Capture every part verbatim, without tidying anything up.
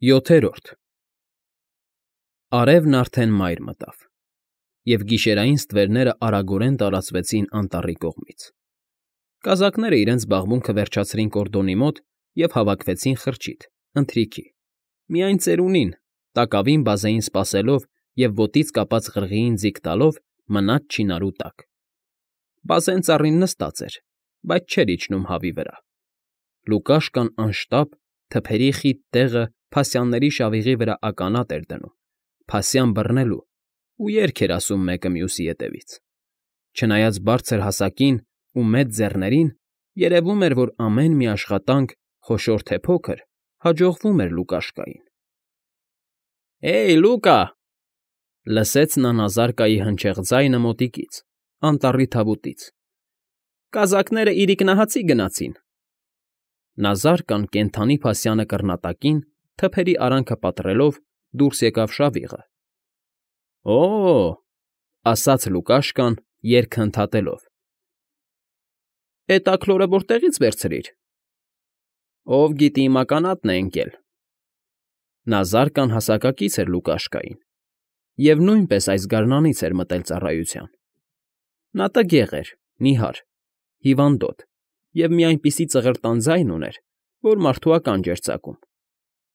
ՅՈԹԵՐՈՐԴ Արևն արդեն մայր մտավ, և գիշերային ստվերները արագորեն տարածվեցին անտառի կողմից. կազակները իրենց զբաղմունքը վերջացրին կորդոնի մոտ և հավաքվեցին խրճիթ, ընթրիքի, միայն ծերունին, տակավին բազեին սպասելով և ոտից կապած ղրղիին ձիգ տալով մնաց չինարու տակ. բազեն ծառին նստած էր, բայց չէր իջնում հավի վրա. Լուկաշկան անշտապ, թփերի խիտ տեղը փասյանների շավիղի վրա ականատ էր դնում, փասյան բռնելու ու երգ էր ասում մեկը մյուսի ետևից. չնայած բարձր հասակին ու մեծ ձեռներին, երևում էր, որ ամեն մի աշխատանք, խոշոր թե փոքր, հաջողվում էր Լուկաշկային։ ֊ Հեյ, Լուկա,֊ լսեց նա Նազարկայի հնչեղ ձայնը մոտիկից, անտառի թավուտից,֊ կազակները իրիկնահացի գնացին… Նազարկան կենդանի փասյանը կռնատակին, թփերի արանքը պատռելով, դուրս եկավ շավիղը։ ֊ Օ՜,֊ ասաց Լուկաշկան, երգը ընդհատելով,֊ էդ աքլորը որտեղի՞ց վերցրիր։ ֊ Ով գիտի իմ ականատն է ընկել… Նազարկան հասակակից էր Լուկաշկային և նույնպես այս գարնանից էր մտել ծառայության. նա տգեղ էր, նիհար, հիվանդոտ և մի այնպիսի ծղրտան ձայն ուներ, որ մարդու ականջ էր ծակում.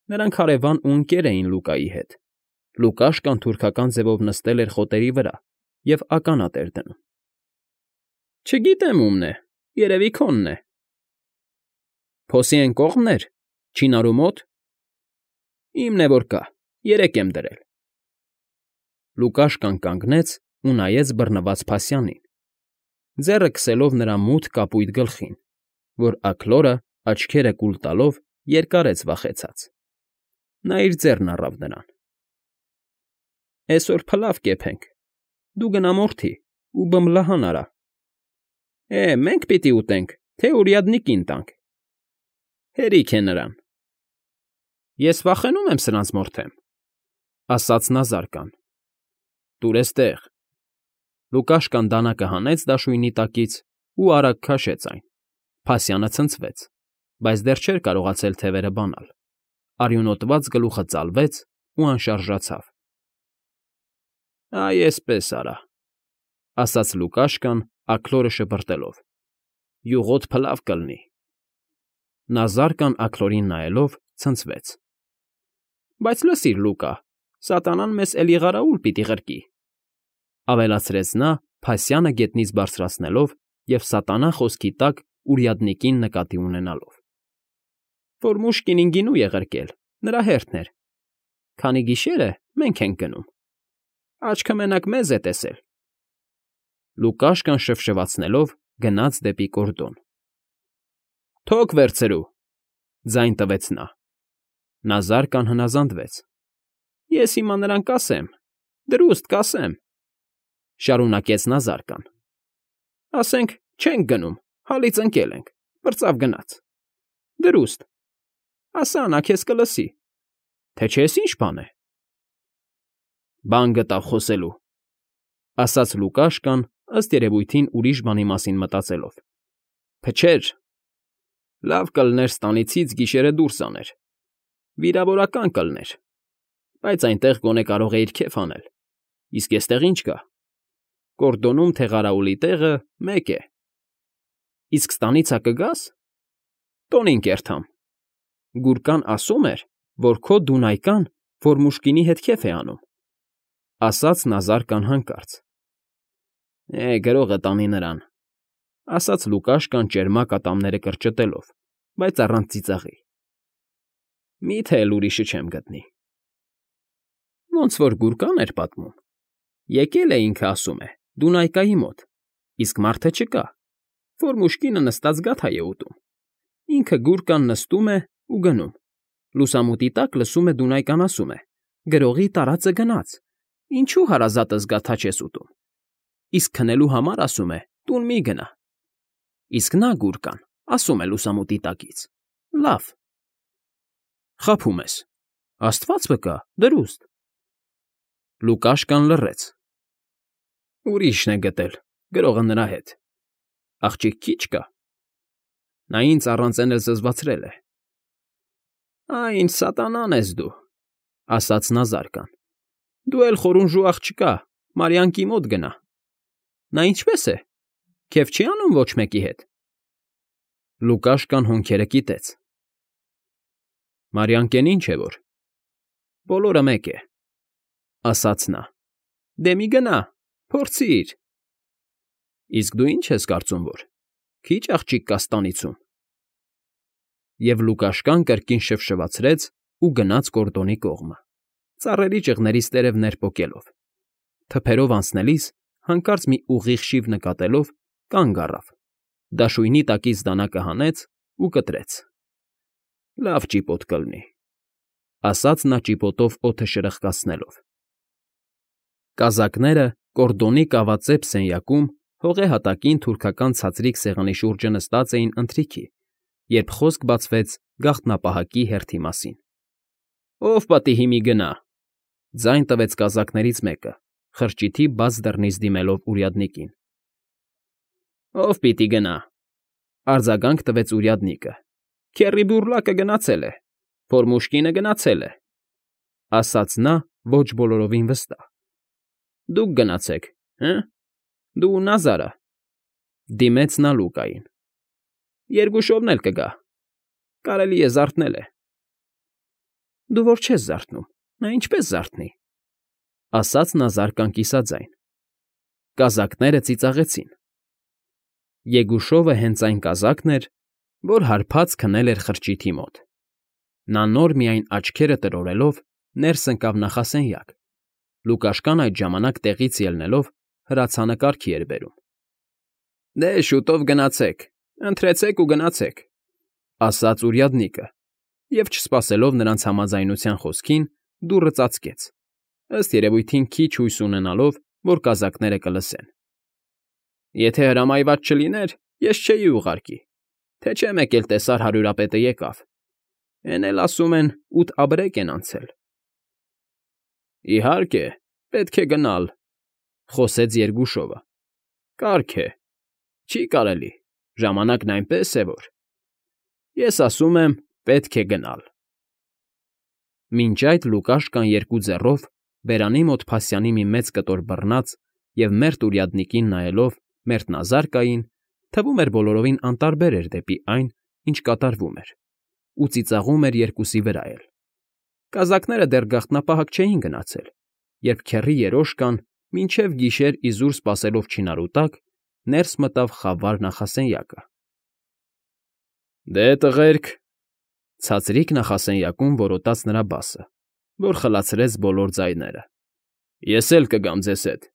նրանք հարևան ու ընկեր էին Լուկայի հետ, Լուկաշկան թուրքական ձևով նստել էր խոտերի վրա և ականատ էր դնում։ ֊ Չգիտեմ ումն է, երևի քոնն է։ ֊ Փոսի էն կողմն էր, չինարու մոտ։ ֊ Իմն է որ կա, երեկ եմ դրել։ Լուկաշկան կանգնեց ու նայեց բռնված փասյանին, ձեռը քսելով նրա մութ կապույտ գլխին, որ աքլորը, աչքերը կուլ տալով, երկարեց վախեցած. նա իր ձեռն առավ նրան։ ֊ Էսօր փլավ կեփենք, դու գնա մորթի ու բմլահան արա… Հե, մենք պիտի ուտենք, թե урядникին տանք… Հերիք է նրան… ֊ Ես վախենում եմ սրանց մորթեմ,֊ ասաց Նազարկան։ ֊ Տուր էստեղ… Լուկաշկան դանակը հանեց դաշույնի տակից ու արագ քաշեց այն, փասյանը ցնցվեց, բայց դեռ չէր կարողացել թևերը բանալ, արյունոտված գլուխը ծալվեց ու անշարժացավ։ ֊ Այ էսպես արա,֊ ասաց Լուկաշկան, աքլորը շպրտելով,֊ յուղոտ փլավ կլնի… Նազարկան աքլորին նայելով ցնցվեց։ ֊ Բայց լսիր, Լուկա, սատանան մեզ էլի ղարաուլ պիտի ղրկի,֊ ավելացրեց նա, փասյանը գետնից բարձրացնելով և սատանա խոսքի տակ урядникին նկատի ունենալով։ ֊ Ֆորմուշկինին գինու է ղրկել, նրա հերթն էր… Քանի գիշեր է, մենք ենք գնում… Աչքը մենակ մեզ է տեսել… Լուկաշկան շվշվացնելով գնաց դեպի կորդոն։ ֊ Թոք վերցրու,֊ ձայն տվեց նա։ Նազարկան հնազանդվեց։ ֊ Ես հիմա նրան կասեմ, դրուստ կասեմ,֊ շարունակեց Նազարկան,֊ ասենք, չենք գնում, հալից ընկել ենք, պրծավ գնաց… Դրուստ… Ասա նա քեզ կլսի… Թե չես ինչ բան է… ֊ Բան գտավ խոսելու,֊ ասաց Լուկաշկան, ըստ երևույթին ուրիշ բանի մասին մտածելով,֊ փչեր… Լավ կլներ ստանիցից գիշերը դուրս աներ… Վիրավորական կլներ… Բայց այնտեղ գոնե կարող էիր քեֆ անել… Իսկ էստեղ ի՞նչ կա… Կորդոնում թեղարաուլի տեղը մեկ է… Իսկ ստանիցա կգա՞ս… Տոնին կերտամ… Գուրկան ասում էր, որ քո դունայկան Ֆորմուշկինի հետ քեֆ է անում,֊ ասաց Նազարկան հանկարծ։ ֊ Է, գրողը տանի նրան,֊ ասաց Լուկաշկան ճերմակ ատամները կրճտելով, բայց առանց ծիծաղի։ ֊ Մի՞թե էլ ուրիշը չեմ գտնի… Ոնց որ Գուրկան էր պատմում, եկել է, ինքը ասում է, Դունայկայի մոտ, իսկ մարդը չկա, Ֆորմուշկինը նստած գաթա է ուտում, ինքը Գուրկան նստում է ու գնում, լուսամուտի տակ լսում է Դունայկան ասում է. «Գրողի տարածը գնաց, ինչո՞ւ հարազատս գաթա չես ուտում», իսկ քնելու համար ասում է. «Տուն մի գնա»։ Իսկ նա՝ Գուրկան, ասում է լուսամուտի տակից. «Լավ»։ Խաբում ես… Աստված վկա, դրուստ… Լուկաշկան լռեց։ Ուրիշն է գտել, գրողը նրա հետ… Աղջիկ քիչ կա… Նա ինձ առանց էն էլ զզվացրել է… Այն սատանան ես դու,֊ ասաց նա զարկան։ Դու էլ խորունժու աղջկա, Մարիանկի մոտ գնա։ Նա ինչպե՞ս է, քեֆ չի անում ոչ մեկի հետ։ Լուկաշկան հոնքերը կիտեց։ Մարիանկեն ինչ է որ։ Բոլորը մեկ է,֊ ասաց նա։ Դե մի գնա, փորձիր։ Իսկ դու ինչ ես կարծում, որ քիչ աղջիկ կա ստանիցում։ Եվ Լուկաշկան կրկին շվշվացրեց ու գնաց կորդոնի կողմը, ծառերի ճղներից տերևներ պոկելով, թփերով անցնելիս հանկարծ մի ուղիղ շիվ նկատելով կանգ առավ, դաշույնի տակից դանակը հանեց ու կտրեց։ Լավ ճիպոտ կլինի,֊ ասաց նա ճիպոտով օդը շրխկացնելով։ Կազակները կորդոնի կավածեպ սենյակում հողե հատակին թուրքական ցածրիկ սեղանի շուրջը նստած էին ընթրիքի, երբ խոսք բացվեց գաղտնապահակի հերթի մասին։ Ո՞վ պատի հիմի գնա,֊ ձայն տվեց կազակներից մեկը, խրճիթի բաց դռնից դիմելով урядникին։ Ո՞վ պիտի գնա,֊ արձագանք տվեց урядникը։ Քեռի բուռլակը գնացել է, փորմուշկինը գնացել է,֊ ասաց նա ոչ բոլորովին վստահ։ Դուք գնացեք, հը՞, դու ու Նազարը,֊ դիմեց նա Լուկային։ Երկուշովն էլ կգա, կարելի է զարթնել է։ Դու որ չես զարթնում, նա ինչպես զարթնի,֊ ասաց նա զարկան կիսաձայն։ Կազակները ծիծաղեցին։ Եգուշովը հենց այն կազակն էր, որ հարբած քնել էր խրճիթի մոտ։ Նա նոր միայն աչքերը տրորելով ներս ընկավ նախասենյակ։ Լուկաշկան այդ ժամանակ տեղից ելնելով հրացանը կարգի էր բերում։ Դե շուտով գնացեք, ընթրեցեք ու գնացեք,֊ ասաց урядникը, և չսպասելով նրանց համաձայնության խոսքին, դուռը ծածկեց, ըստ երևույթին քիչ հույս ունենալով, որ կազակները կլսեն։ Եթե հրամայված չլիներ, ես չէի ուղարկի, թե չէ մեկ էլ տեսար հարյուրապետը եկավ, էն էլ ասում են ութ աբրեկ են անցել։ Իհարկե, պետք է գնալ,֊ խոսեց Երգուշովը։ Կարգ է, չի կարելի, ժամանակն այնպես է, որ… Ես ասում եմ, պետք է գնալ։ Մինչ այդ Լուկաշկան երկու ձեռով բերանի մոտ փասյանի մի մեծ կտոր բռնած և մերթ урядникին նայելով մերթ Նազարկային, թվում էր բոլորովին անտարբեր էր դեպի այն, ինչ կատարվում էր, ու ծիծաղում էր երկուսի վրա էլ։ Կազակները դեռ գաղտնապահակ չէին գնացել, երբ քեռի երոշկան, մինչև գիշեր իզուր սպասելով չինարու տակ, ներս մտավ խավար նախասենյակը։ Դե, տղերք,֊ ցածրիկ նախասենյակում որոտաց նրա բասը, որ խլացրեց բոլոր ձայները,֊ ես էլ կգամ ձեզ հետ։